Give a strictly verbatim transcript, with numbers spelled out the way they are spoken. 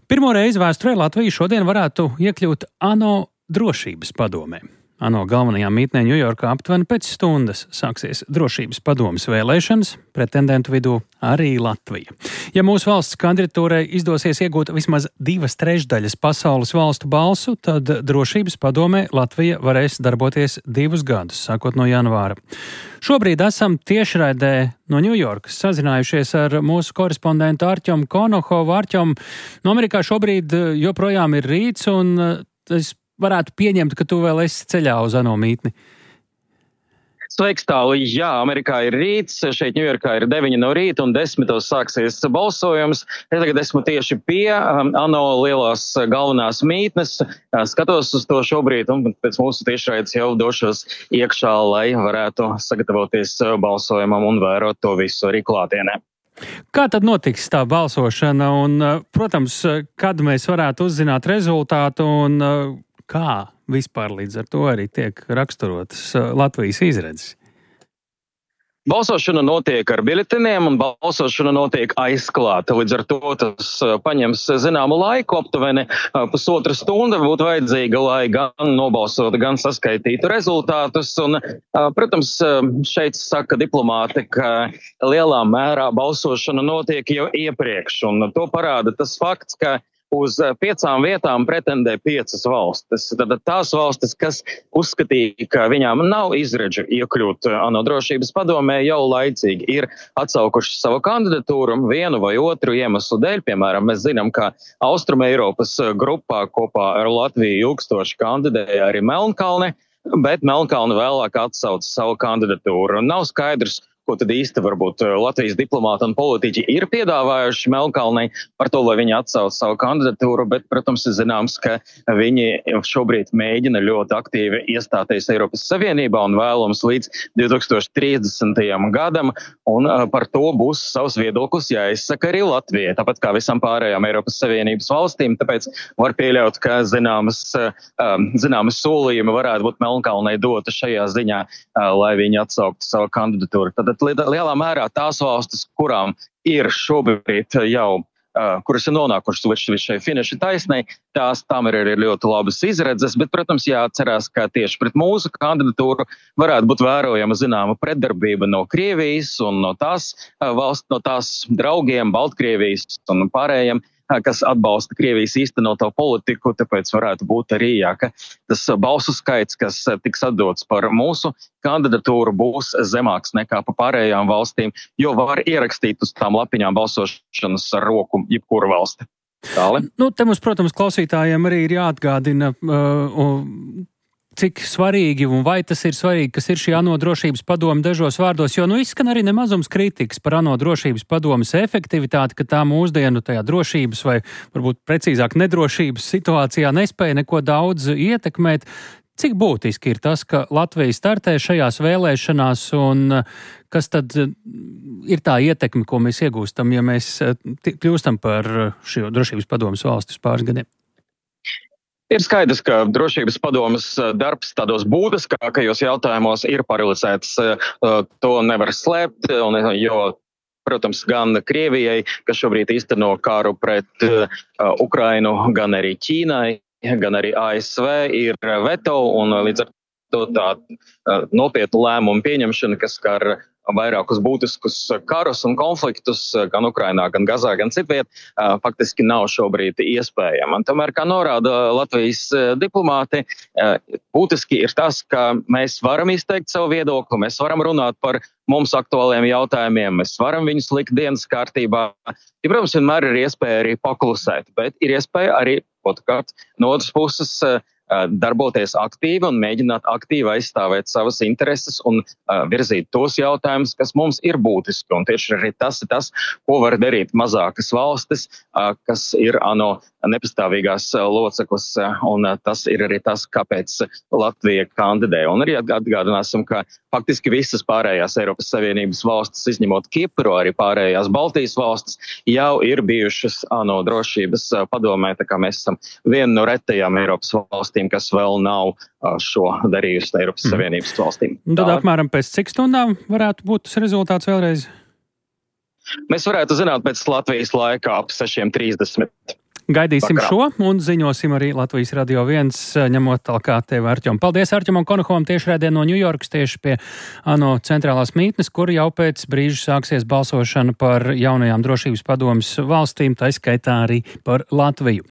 Pirmo reizi vēsturē Latvija šodien varētu iekļūt ANO drošības padomē. ANO galvenajā mītnē Ņujorkā aptuveni pēc stundas sāksies drošības padomes vēlēšanas, pretendentu vidū arī Latvija. Ja mūsu valsts kandidatūrai izdosies iegūt vismaz divas trešdaļas pasaules valstu balsu, tad drošības padomē Latvija varēs darboties divus gadus, sākot no janvāra. Šobrīd esam tiešraidē no Ņujorkas sazinājušies ar mūsu korespondentu Arķomu Konohovu. Arķom, no Amerikā šobrīd joprojām ir rīts, un es varētu pieņemt, ka tu vēl esi ceļā uz ANO mītni. Sveiks, Tāli. Jā, Amerikā ir rīts, šeit Ņujorkā ir deviņi no rīta un desmitos sāksies balsojums. Es tagad esmu tieši pie um, ANO lielās galvenās mītnes. Skatos uz to šobrīd un pēc mūsu tiešraides jau došos iekšā, lai varētu sagatavoties balsojumam un vērot to visu arī klātienē. Kā tad notiks tā balsošana un, protams, kad mēs varētu uzzināt rezultātu un kā vispār līdz ar to arī tiek raksturotas Latvijas izredzes? Balsošana notiek ar biļeteniem un balsošana notiek aizklāta. Līdz ar to tas paņems zināmu laiku, aptuveni pusotra stunda būtu vajadzīga, lai gan nobalsotu, gan saskaitītu rezultātus. Un, protams, šeit saka diplomāti, ka lielā mērā balsošana notiek jau iepriekš. Un to parāda tas fakts, ka uz piecām vietām pretendē piecas valstis. Tad tās valstis, kas uzskatīja, ka viņām nav izredžu iekļūt ANO drošības padomē, jau laicīgi ir atsaukuši savu kandidatūru vienu vai otru iemeslu dēļ. Piemēram, mēs zinām, ka Austruma Eiropas grupā kopā ar Latviju ilgstoši kandidēja arī Melnkalne, bet Melnkalne vēlāk atsauca savu kandidatūru. Nav skaidrs, ko tad īsti varbūt Latvijas diplomāti un politiķi ir piedāvājuši Melnkalnei par to, lai viņi atsauc savu kandidatūru, bet, protams, ir zināms, ka viņi šobrīd mēģina ļoti aktīvi iestāties Eiropas Savienībā un vēlams līdz divi tūkstoši trīsdesmitajam gadam, un par to būs savs viedoklis jāizsaka arī Latvijai, tāpat kā visam pārējām Eiropas Savienības valstīm, tāpēc var pieļaut, ka zināmas, zināmas solījumi varētu būt Melnkalnei dota šajā ziņā, lai viņi atsauktu savu kandidatūru. Tad lielā mērā tās valstis, kurām ir šobrīd jau, uh, kuras ir nonākušas līdz šai finiša taisnei, tās tam ir arī ļoti labas izredzes, bet, protams, jāatcerās, ka tieši pret mūsu kandidatūru varētu būt vērojama zināma pretdarbība no Krievijas un no tās uh, valsts, no tās draugiem, Baltkrievijas un pārējiem, kas atbalsta Krievijas īstenoto politiku, tāpēc varētu būt arī, jā, ka tas balsu skaits, kas tiks atdots par mūsu kandidatūru, būs zemāks nekā pa pārējām valstīm, jo var ierakstīt uz tām lapiņām balsošanas ar roku jebkuru valsti. Tāli? Nu, te mums, protams, klausītājiem arī ir jāatgādina, uh, cik svarīgi un vai tas ir svarīgi, kas ir šī ANO drošības padome dažos vārdos, jo nu izskan arī nemazums kritikas par ANO drošības padomes efektivitāti, ka tā mūsdienu tajā drošības vai varbūt precīzāk nedrošības situācijā nespēja neko daudz ietekmēt. Cik būtiski ir tas, ka Latvija startē šajās vēlēšanās un kas tad ir tā ietekme, ko mēs iegūstam, ja mēs kļūstam par šo drošības padomes valsti uz pāris gadiem? Ir skaidrs, ka drošības padomes darbs tādos būtiskākajos jautājumos ir paralizēts. To nevar slēpt, un, jo, protams, gan Krievijai, kas šobrīd īsteno kāru pret Ukrainu, gan arī Ķīnai, gan arī A S V ir veto, un līdz ar to tā nopietnu lēmumu pieņemšana, kas skar vairākus būtiskus karus un konfliktus gan Ukrainā, gan Gazā, gan citviet, faktiski nav šobrīd iespējama. Tomēr, kā norāda Latvijas diplomāti, būtiski ir tas, ka mēs varam izteikt savu viedokli, mēs varam runāt par mums aktuāliem jautājumiem, mēs varam viņus likt dienas kārtībā. Ja, protams, vienmēr ir iespēja arī paklusēt, bet ir iespēja arī, otrkārt, no otras puses, darboties aktīvi un mēģināt aktīvi aizstāvēt savas intereses un uh, virzīt tos jautājumus, kas mums ir būtiski. Un tieši arī tas ir tas, ko var darīt mazākas valstis, uh, kas ir ANO nepastāvīgās uh, loceklis, uh, un uh, tas ir arī tas, kāpēc Latvija kandidē. Un arī atgādināsim, ka faktiski visas pārējās Eiropas Savienības valstis, izņemot Kipru, arī pārējās Baltijas valstis, jau ir bijušas ANO drošības uh, padomē, tā kā mēs esam viena no retajām Eiropas valstīm, kas vēl nav šo darījusi Eiropas mm. Savienības valstīm. Un tad apmēram pēc cik stundām varētu būt tas rezultāts vēlreiz? Mēs varētu zināt pēc Latvijas laika ap sešiem trīsdesmit. Gaidīsim Vakarā. šo un ziņosim arī Latvijas Radio viens, ņemot tālāk tevi, Arķom. Paldies Arķomam Konokovam tiešraidē no Ņujorkas, tieši pie ANO centrālās mītnes, kur jau pēc brīža sāksies balsošana par jaunajām drošības padomes valstīm, tā skaitā arī par Latviju.